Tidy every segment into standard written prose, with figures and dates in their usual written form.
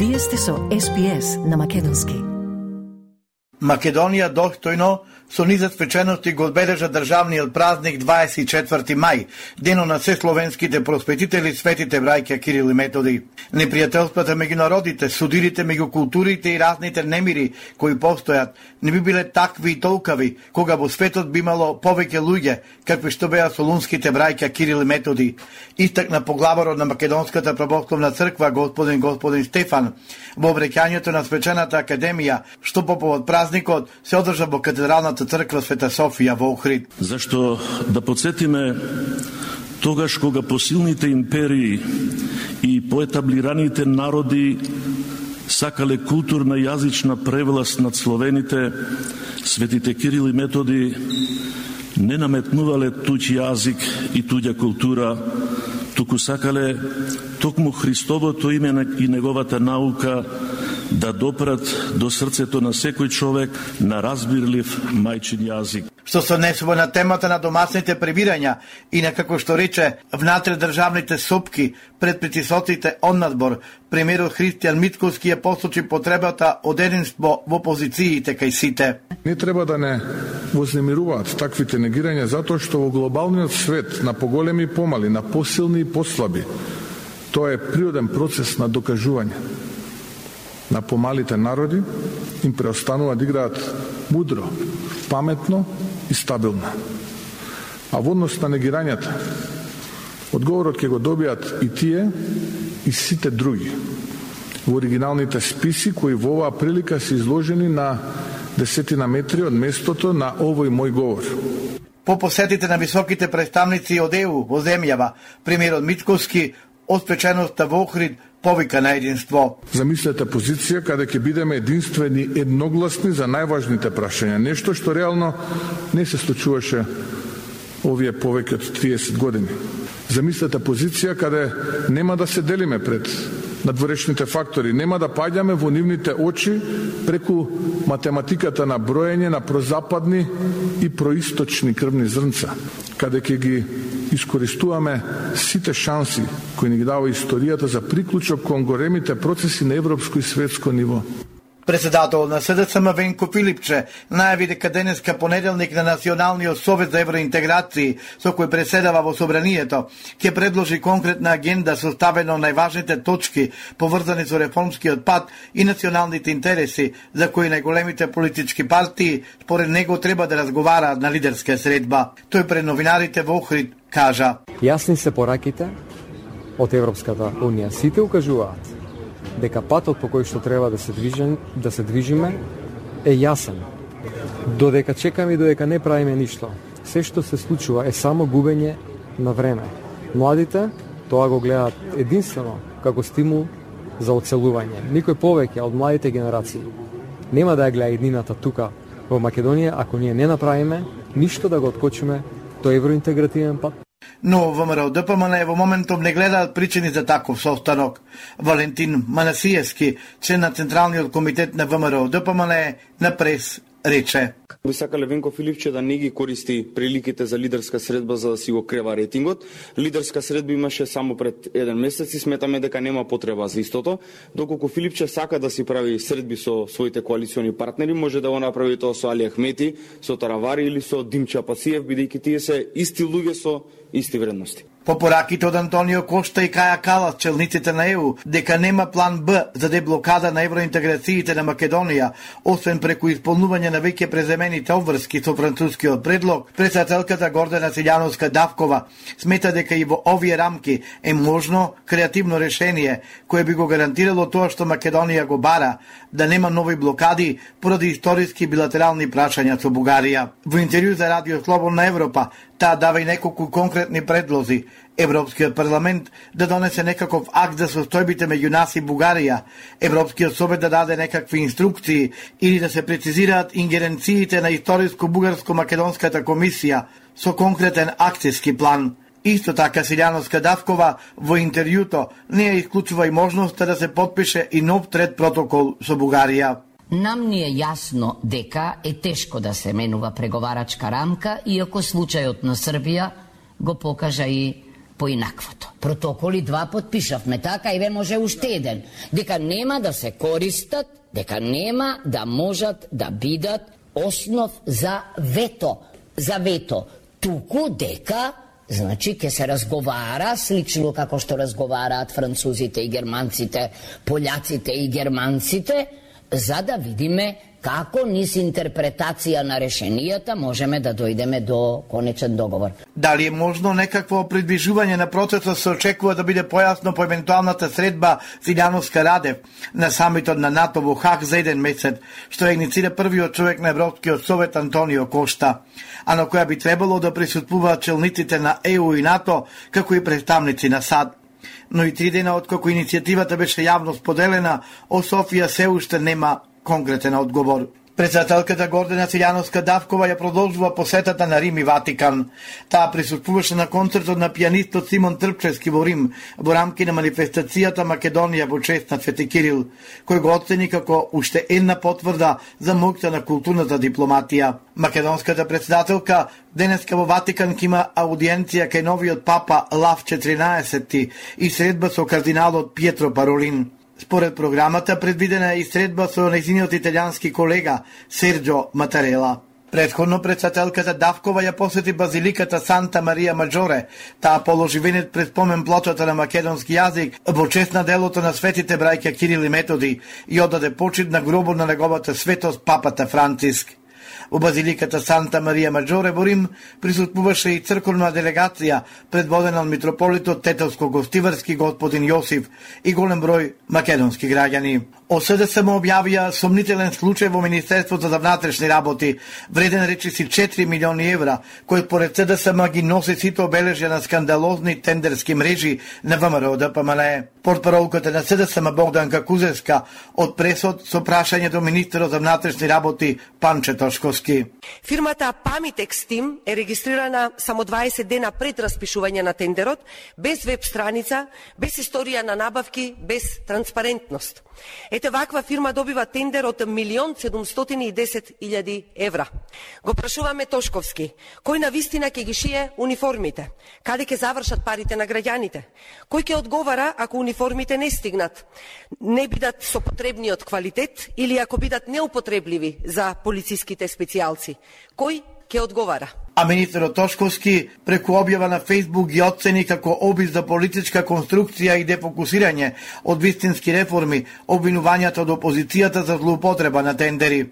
Вие сте со SPS на македонски. Македонија достојно со низа свечености го одбележа државниот празник 24 мај, денот на се словенските просветители, светите браќа Кирил и Методи. Непријателствата меѓу народите, судирите меѓу културите и разните немири кои постојат, не би биле такви и толкави, кога во светот би имало повеќе луѓе, какви што беа солунските браќа Кирил и Методи. Истакна поглаварот на Македонската православна црква господин Стефан во обреќањето на свечената академија, што по повод празникот се одржа во катедралната црква Света Софија во Охрид. Зашто да подсетиме тогаш кога посилните империи и поетаблираните народи сакале културна и јазична превласт над словените, светите Кирил и Методи не наметнувале туѓ јазик и туѓа култура, туку сакале токму Христовото име и неговата наука да допрат до срцето на секој човек на разбирлив мајчин јазик. Што се однесува на темата на домашните пребирања и на, како што рече, внатре државните сопки пред притисоците од надбор, премиерот Христијан Мицковски ја посочи потребата од единство во позициите кај сите. Не треба да не вознемируваат таквите негирања, затоа што во глобалниот свет на поголеми и помали, на посилни и послаби, тоа е природен процес на докажување. На помалите народи им преостанува да играат мудро, паметно и стабилно. А во однос на негирањата, одговорот ќе го добијат и тие и сите други во оригиналните списи кои во оваа прилика се изложени на 10 метри од местото на овој мој говор. По посетите на високите представници од ЕУ во земјава, премиерот Мицковски од свеченоста во Охрид повика на единство. Замислете позиција каде ќе бидеме единствени, едногласни за најважните прашања. Нешто што реално не се случуваше овие повеќе од 30 години. Замислете позиција каде нема да се делиме пред надворешните фактори, нема да паѓаме во нивните очи преку математиката на броење на прозападни и происточни крвни зрнца, каде ќе ги искористуваме сите шанси кои ни ги дава историјата за приклучок кон големите процеси на европско и светско ниво. Председател на СДСМ Венко Филипче најави дека денеска понеделник на Националниот совет за евроинтеграција, со кој преседава во собранието, ќе предложи конкретна агенда составена од најважните точки поврзани со реформскиот пат и националните интереси, за кои најголемите политички партии според него треба да разговараат на лидерска средба. Тој пред новинарите во Охрид кажа: Јасни се пораките од Европската унија. Сите укажуваат дека патот по кој што треба да се движиме е јасен. Додека чекаме и додека не правиме ништо, се што се случува е само губење на време. Младите тоа го гледаат единствено како стимул за оцелување. Никој повеќе од младите генерации нема да ја гледа иднината тука во Македонија ако ние не направиме ништо да го откочиме тој евроинтегративен пат. Но ВМРО ДПМН во моментов не гледаат причини за таков состанок. Валентин Манасиевски, член на Централниот комитет на ВМРО ДПМН, на прес рече: Би сакале Венко Филипче да не ги користи приликите за лидерска средба за да си го крева рейтингот. Лидерска средба имаше само пред еден месец и сметаме дека нема потреба за истото. Доколку Филипче сака да си прави средби со своите коалициони партнери, може да го направи тоа со Али Ахмети, со Таравари или со Димча Пасиев, бидејќи тие се исти луѓе со исти вредности. По пораките од Антонио Кошта и Каја Калас, челниците на ЕУ, дека нема план Б за деблокада на евроинтеграциите на Македонија, освен преку исполнување на веќе преземените обврски со францускиот предлог, председателката Гордана Силјановска-Давкова смета дека и во овие рамки е можно креативно решение кое би го гарантирало тоа што Македонија го бара, да нема нови блокади поради историски билатерални прашања со Бугарија. Во интервју за Радио Слободна Европа, таа дава и неколку конкретни предлози. Европскиот парламент да донесе некаков акт за состојбите меѓу нас и Бугарија, Европскиот совет да даде некакви инструкции или да се прецизираат ингеренциите на историско-бугарско-македонската комисија со конкретен акцијски план. Исто така Силјановска-Давкова во интервјуто не ја исклучува и можноста да се подпише и нов трет протокол со Бугарија. Нам ни е јасно дека е тешко да се менува преговарачка рамка, иако случајот на Србија го покажа и поинаквото. Протоколи 2 подпишавме, така и ве може уште еден, дека нема да се користат, дека нема да можат да бидат основ за вето, туку дека значи ќе се разговара слично како што разговараат французите и германците, пољаците и германците, за да видиме како низ интерпретација на решенијата можеме да дојдеме до конечен договор. Дали е можно некакво придвижување на процесот, се очекува да биде појасно по евентуалната средба Силјановска-Радев на самитот на НАТО во Хаг за еден месец, што ја иницира првиот човек на Европскиот совет Антонио Кошта, а на која би требало да присуствуваат челниците на ЕУ и НАТО, како и представници на САД. Но и 3 дена откако иницијативата беше јавно споделена, од Софија се уште нема конкретен одговор. Председателката Гордана Силјановска-Давкова ја продолжува посетата на Рим и Ватикан. Таа присуствуваше на концертот на пианистот Симон Трпчевски во Рим во рамки на манифестацијата Македонија во чест на Свети Кирил, кој го оцени како уште една потврда за моќта на културната дипломатија. Македонската председателка денеска во Ватикан ќе има аудиенција кај новиот папа Лав 14 и средба со кардиналот Пиетро Паролин. Според програмата предвидена е и средба со нејзиниот италијански колега Серджо Матарела. Предходно председателката Давкова ја посети базиликата Санта Марија Маджоре. Таа положи венец пред спомен плочата на македонски јазик во чест на делото на светите браќа Кирил и Методи и одаде почит на гробот на неговата светост папата Франциск. Во базиликата Санта Марија Маджоре во Рим присуствуваше и црковна делегација предводена од митрополитот Тетовско-Гостиварски господин Јосиф и голем број македонски граѓани. ОСДСМ објавија сомнителен случај во Министерството за внатрешни работи, вреден речиси 4 милиони евра, кој според СДСМ ги носи сите обележја на скандалозни тендерски мрежи на ВМРО ДПМНЕ. Портпаролката на СДСМ Богданка Кузевска од пресот со прашање до министерот за внатрешни работи Панче Тошковски. Фирмата Pamitex Team е регистрирана само 20 дена пред распишување на тендерот, без веб страница, без историја на набавки, без транспарентност. Ете ваква фирма добива тендер од 1.710.000 евра. Го прашуваме Тошковски, кој на вистина ќе ги шие униформите? Каде ќе завршат парите на граѓаните? Кој ќе одговара ако униформите не стигнат, не бидат со потребниот квалитет или ако бидат неупотребливи за полициските специјалци? Кој ќе одговара? А министерот Тошковски преку објава на Фејсбук ги оцени како обид за политичка конструкција и дефокусирање од вистински реформи обвинувањата од опозицијата за злоупотреба на тендери.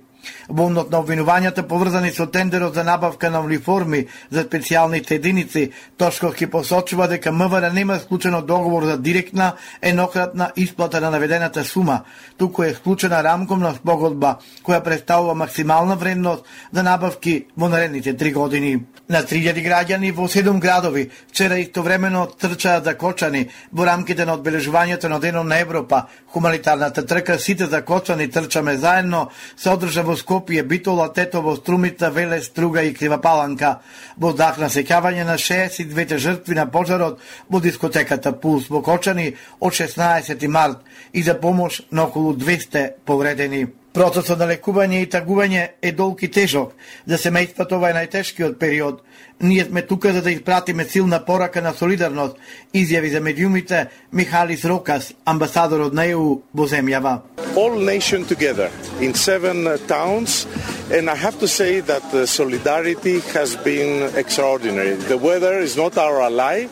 Волнот на обвинувањата поврзани со тендерот за набавка на униформи за специјалните единици, Тошковски посочува дека МВР нема склучено договор за директна еднократна исплата на наведената сума, туку е склучена рамковна спогодба која представува максимална вредност за набавки во наредните 3 години. На 3000 граѓани во 7 градови вчера истовремено трчаат закочани во рамките на одбележувањето на Денот на Европа. Хуманитарната трка Сите закочани трчаме заедно се одржа во Скопје, Битола, Тетово, Струмица, Велес, Струга и Кривапаланка. Во дах на сеќавање на 62 жртви на пожарот во дискотеката Пулс во Кочани од 16 март и за помош на околу 200 повредени. Процесот на лекување и тагување е долг и тежок. За семејството ова е најтешкиот период. Ние сме тука за да испратиме силна порака на солидарност, изјави за медиумите Михалис Рокас, амбасадорот на ЕУ во земјава. All nation together in 7 towns, and I have to say that the solidarity has been extraordinary. The weather is not our ally,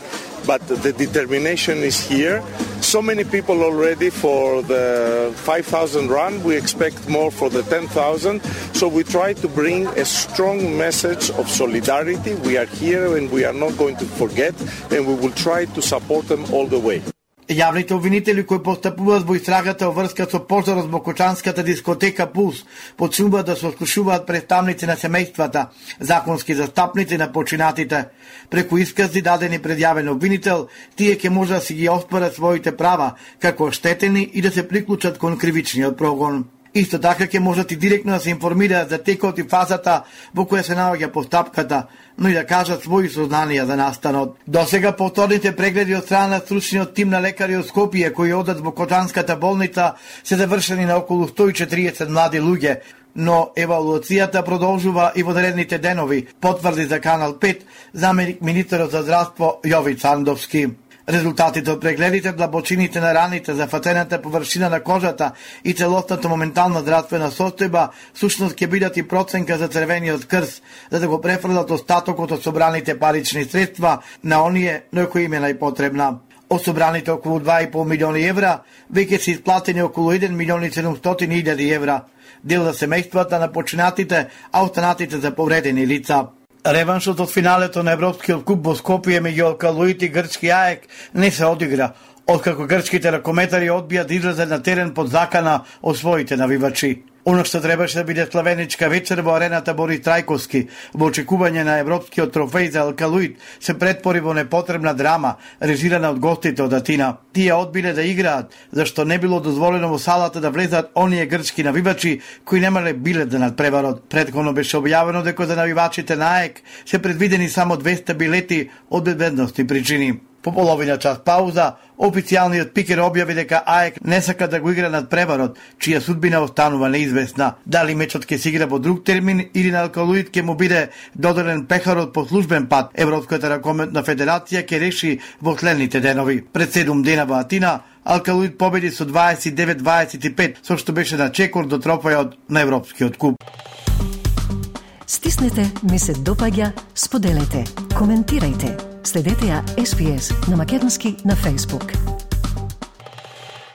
but the determination is here. So many people already for the 5,000 run. We expect more for the 10,000. So we try to bring a strong message of solidarity. We are here and we are not going to forget, and we will try to support them all the way. Јавните обвинители кои постапуваат во истрагата во врска со пожарот во Кочанската дискотека Пулс почнуваат да се ослушуваат представници на семејствата, законски застапници на починатите. Преку искази дадени пред јавен обвинител, тие ќе може да си ги оспорат своите права како оштетени и да се приклучат кон кривичниот прогон. Исто така ќе можат и директно да се информираат за текот и фазата во која се наоѓа постапката, но и да кажат своји сознанија за настанот. Досега повторните прегледи од страна на стручниот тим на лекари од Скопје кои одат во Кочанската болница се завршени на околу 140 млади луѓе, но евалуацијата продолжува и во наредните денови, потврди за Канал 5 заменик министерот за здравство Јовица Сандовски. Резултатите од прегледите, длабочините на раните, зафатената површина на кожата и целосната моментална здравствена состојба сушност ќе бидат и проценка за црвениот крст, за да го префрлат остатокот од собраните парични средства на оние на кои им е најпотребна. Од собраните околу 2,5 милиони евра, веќе се исплатени околу 1 милион и 700 илјади евра. Дел за семејствата на починатите, а останатите за повредени лица. Реваншот од финалето на Европскиот куп во Скопје меѓу Алкалуит и грчки АЕК не се одигра, откако грчките ракометари одбија да излезат на терен под закана од своите навивачи. Оно што требаше да биде славеничка вечер во арената Борис Трајковски, во очекување на европскиот трофеј за Алкалуит, се претпори во непотребна драма, режирана од гостите од Атина. Тие одбиле да играат, зашто не било дозволено во салата да влезат оние грчки навивачи кои немале билет за надпреварот. Претходно беше објавено дека за навивачите на АЕК се предвидени само 200 билети од безбедности причини. По половина час пауза, официјалниот пикер објави дека АЕК не сака да го игра надпреварот, чија судбина останува неизвестна. Дали мечот ќе се игра во друг термин или на Алкалуит ќе му биде доделен пехарот по службен пат, Европската ракометна федерација ќе реши во следните денови. Пред 7 дена во Атина, Алкалуит победи со 29-25, со што беше на чекор до трофејот на Европскиот куп. Стиснете, ми се допаѓа, споделете, коментирајте. Следете ја SPS на Македонски на Facebook.